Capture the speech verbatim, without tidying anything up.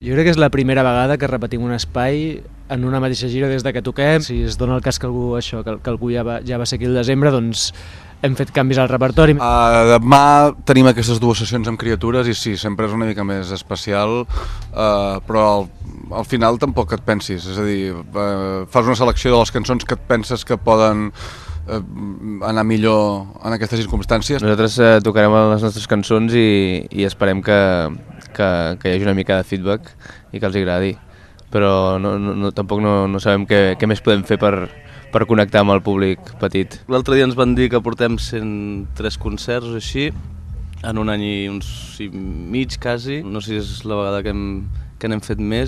Jo crec que és la primera vegada que repetim un espai en una mateixa gira des de que toquem. Si es dona el cas que algú, això, que, que algú ja va, ja va ser aquí al desembre, doncs hem fet canvis al repertori. Uh, demà tenim aquestes dues sessions amb criatures i sí, sempre és una mica més especial, uh, però al, al final tampoc et pensis, és a dir, uh, fas una selecció de les cançons que et penses que poden uh, anar millor en aquestes circumstàncies. Nosaltres uh, tocarem les nostres cançons i, i esperem que, que, que hi hagi una mica de feedback i que els agradi, però no, no, tampoc no, no sabem què, què més podem fer per per connectar amb el públic petit. L'altre dia ens van dir que portem cent tres concerts o així, en un any i uns i mig quasi. No sé si és la vegada que, hem, que n'hem fet més.